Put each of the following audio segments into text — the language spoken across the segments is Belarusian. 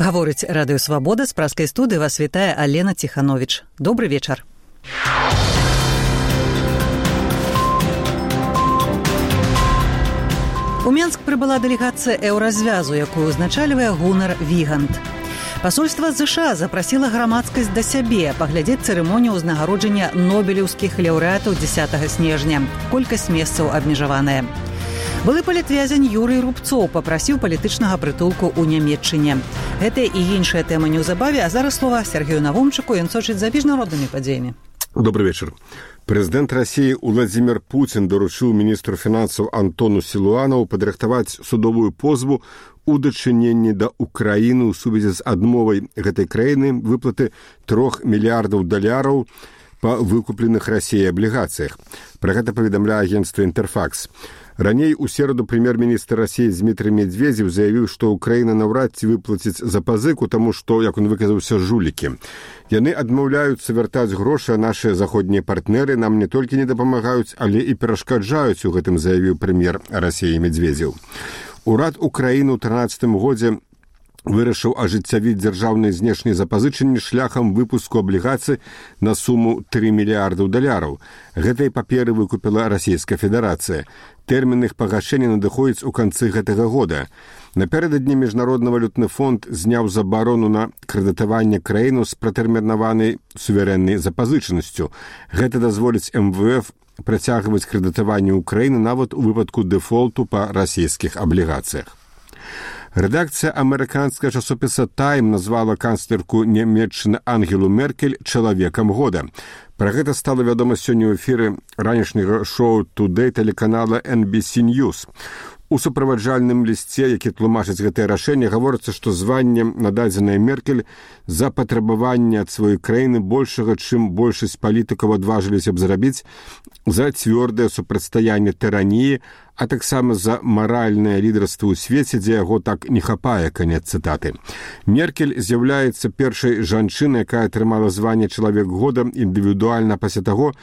Гаворыць Радыё Свабода, з праскай студыі вас вітае Алена Ціхановіч. Добры вечар. У Менск прыбыла дэлегацыя еўразвязу, якую узначальвае Гунар Вігант. Пасольства США запрасіла грамадскасць да сябе паглядзець цырымонію ўзнагароджання нобелеўскіх лаўрэатаў 10 снежня. Колькасць месцаў абмежаваная. Былы палітвязень Юрый Рубцоў папрасіў палітычнага прытулку ў Нямецчыне. Гэтая і іншая тэма неўзабаве, а зараз слова Сергею Навумчыку, ён сочыць за міжнароднымі падзеямі. Добрый вечер. Прэзідэнт Расіі Владзімір Пуцін даручыў міністру фінансаў Антону Сілуанаву падрыхтаваць судовую позву у дачыненні да Украіны ў сувязі з адмовай гэтай краіны выплаты $3 мільярдаў па выкупленых Расіяй аблігацыях. Пра гэта паведамляе агенцтва «Інтэрфакс». Раней у сераду прэм'ер-міністр Расіі Дмітрый Медведзеў заявіў, што Украіна наўрад ці выплаціць запазыку, таму што, як он выказаўся, жулікі. Яны адмаўляюцца вяртаць грошы, а нашыя заходнія партнеры нам не толькі не дапамагаюць, але і перашкаджаюць у гэтым, заявіў прэм'ер Расіі Медведзеў. Урад Украіны ў 2013 годзе вырашыў ажыццявіць дзяржаўныя знешнія запазычанні шляхам выпуску аблігацый на суму $3 мільярдаў. Гэтай паперы выкупіла Расійская Федэрацыя. Тэрмін іх пагашэння надыходзіць у канцы гэтага года. Напярэдадні Міжнародны валютны фонд зняў забарону на крэдытаванне краіну з пратэрмінаванай суверэннай запазычанасцю. Гэта дазволіць МВФ працягваць крэдытаванне Украіны нават у выпадку дэфолту па расійскіх аблігацыях. Рэдакцыя амерыканскага часопіса «Тайм» назвала канцлерку Нямецчыны Ангелу Меркель чалавекам года. Пра гэта стала вядома сёння ў эфіры ранішняга шоу «Today» тэлеканала NBC News. У суправаджальным лісце, які тлумачыць гэтае рашэнне, гаворыцца, што званне нададзенае Меркель за патрабаванне ад сваёй краіны большага, чым большасць палітыкаў адважыліся б зрабіць, за цвёрдае супрацьстаянне тыраніі, а таксама за маральнае лідарства ў свеце, дзе яго так не хапае, канец цытаты. Меркель з'яўляецца першай жанчынай, якая атрымала званне «Чалавек года» індывідуальна пасля таго,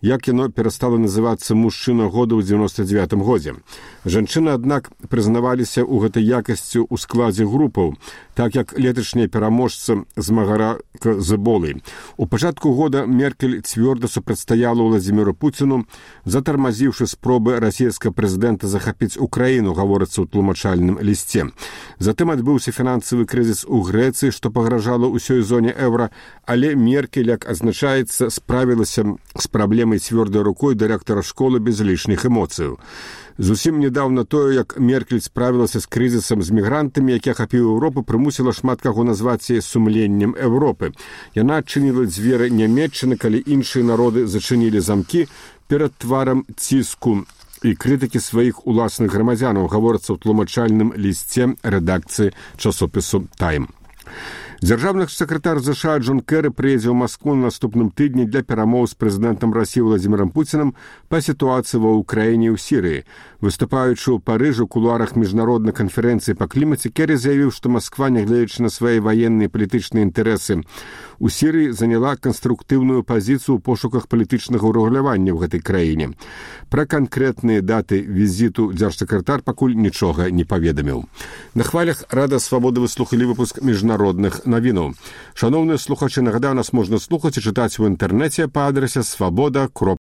як яно перастала называцца «Мужчына года» ў 99 годзе. Жанчыны, аднак, прызнаваліся ў гэтай якасці ў складзе групаў, так як леташняя пераможца змагарака з эболай. У пачатку года Меркель цвёрда супрацьстаяла Владзіміру Пуціну, затармазіўшы спробы расійскага прэзідэнта захапіць Украіну, гаворыцца ў тлумачальным лісце. Затым адбыўся фінансавы крызіс у Грэцыі, што пагражала ўсёй зоне еўра, але Меркель, як адзначаецца, справілася з праблемай цвёрдай рукой дырэктара школы без лішніх эмоцыяў. Зусім недаўна тое, як Меркель справілася з крызісам з мігрантамі, які ахапіў Еўропу, прымусіла шмат каго назваць яе сумленнем Еўропы. Яна адчыніла дзверы Нямецчыны, калі іншыя народы зачынілі замкі перад тварам ціску і крытыкі сваіх уласных грамадзянаў, гаворыцца ў тлумачальным лісце рэдакцыі часопісу «Тайм». Дзяржаўны сакратар США Джон Кэры прыедзе ў Маскву на наступным тыдні для перамоў з прэзідэнтам Расіі Владзімірам Пуцінам па сітуацыі ва Ўкраіне і ў Сірыі. Выступаючы ў Парыжы ў кулуарах міжнароднай канферэнцыі па клімаце, Кэры заявіў, што Масква, нягледзячы на свае ваенныя і палітычныя інтарэсы у Сірыі, заняла канструктыўную пазіцыю ў пошуках палітычнага ўрэгулявання ў гэтай краіне. Пра канкрэтныя даты візіту дзяржсакратар пакуль нічога не паведаміў. На хвалях Рада Свабоды вы слухалі выпуск міжнародных навінаў. Шановныя слухачы, нагадаю, нас можна слухаць і чытаць у інтэрнэце па адрасе swaboda.ru.